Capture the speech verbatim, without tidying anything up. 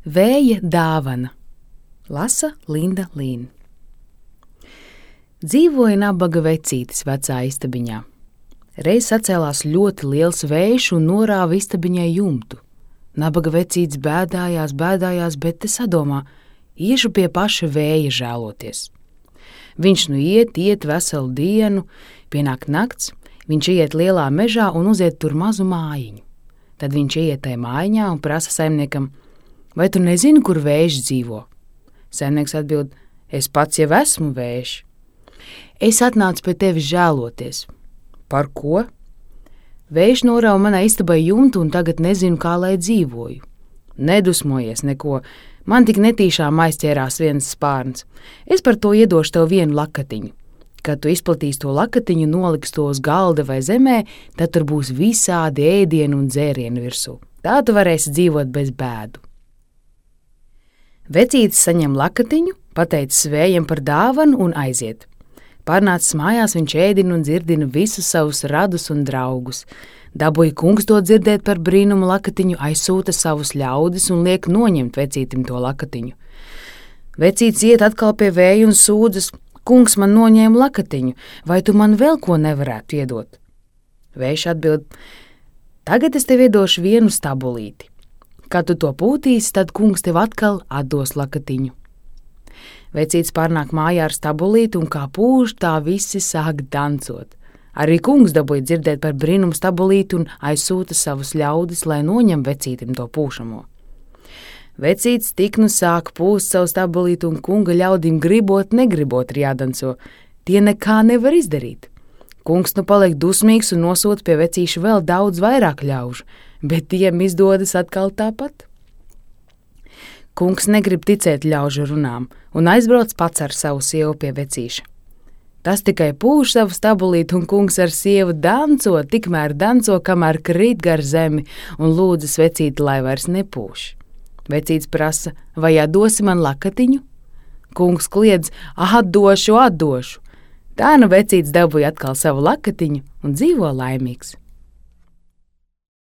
Vēja dāvana. Lasa Linda Līna. Dzīvoja nabaga vecītis vecā istabiņā. Reiz sacēlās ļoti liels vējš un norāva istabiņai jumtu. Nabaga vecītis bēdājās, bēdājās, bet te sadomā, iešu pie paša vēja žēloties. Viņš nu iet, iet veselu dienu, pienāk nakts, viņš iet lielā mežā un uziet tur mazu mājiņu. Tad viņš iet tai mājiņā un prasa saimniekam, vai tu nezini, kur vējš dzīvo? Saimnieks atbild, es pats jau esmu vējš. Es atnācu pie tevis žēloties. Par ko? Vējš norauj manai istabai jumtu un tagad nezinu, kā lai dzīvoju. Nedusmojies neko, man tik netīšām aizķērās viens spārns. Es par to iedošu tev vienu lakatiņu. Kad tu izplatīsi to lakatiņu, noliks to uz galda vai zemē, tad tur būs visādi ēdienu un dzērienu virsū. Tā tu varēsi dzīvot bez bēdu. Vecītis saņem lakatiņu, pateicis vējam par dāvanu un aiziet. Pārnācis mājās, viņš ēdina un dzirdina visus savus radus un draugus. Dabūja kungs to dzirdēt par brīnumu lakatiņu, aizsūta savus ļaudis un liek noņemt vecītim to lakatiņu. Vecītis iet atkal pie vēja un sūdzas, kungs man noņēma lakatiņu, vai tu man vēl ko nevarētu iedot? Vējš atbild, tagad es tev iedošu vienu stabulīti. Kad tu to pūtīsi, tad kungs tev atkal atdos lakatiņu. Vecītis pārnāk mājā ar stabulīti un kā pūš, tā visi sāk dancot. Arī kungs dabūja dzirdēt par brīnumu stabulīti un aizsūta savus ļaudis, lai noņem vecītim to pūšamo. Vecītis tik nu sāk pūst savu stabulīti un kunga ļaudim gribot, negribot ir jādanco. Tie nekā nevar izdarīt. Kungs nu paliek dusmīgs un nosūta pie vecīša vēl daudz vairāk ļaužu, bet tiem izdodas atkal tāpat. Kungs negrib ticēt ļaužu runām un aizbrauc pats ar savu sievu pie vecīša. Tas tikai pūš savu stabulīti un kungs ar sievu danco, tikmēr danco, kamēr krīt gar zemi un lūdzas vecīti, lai vairs nepūš. Vecītis prasa, vai atdosi man lakatiņu? Kungs kliedz, atdošu, atdošu. Tā nu vecītis dabūja atkal savu lakatiņu un dzīvo laimīgs.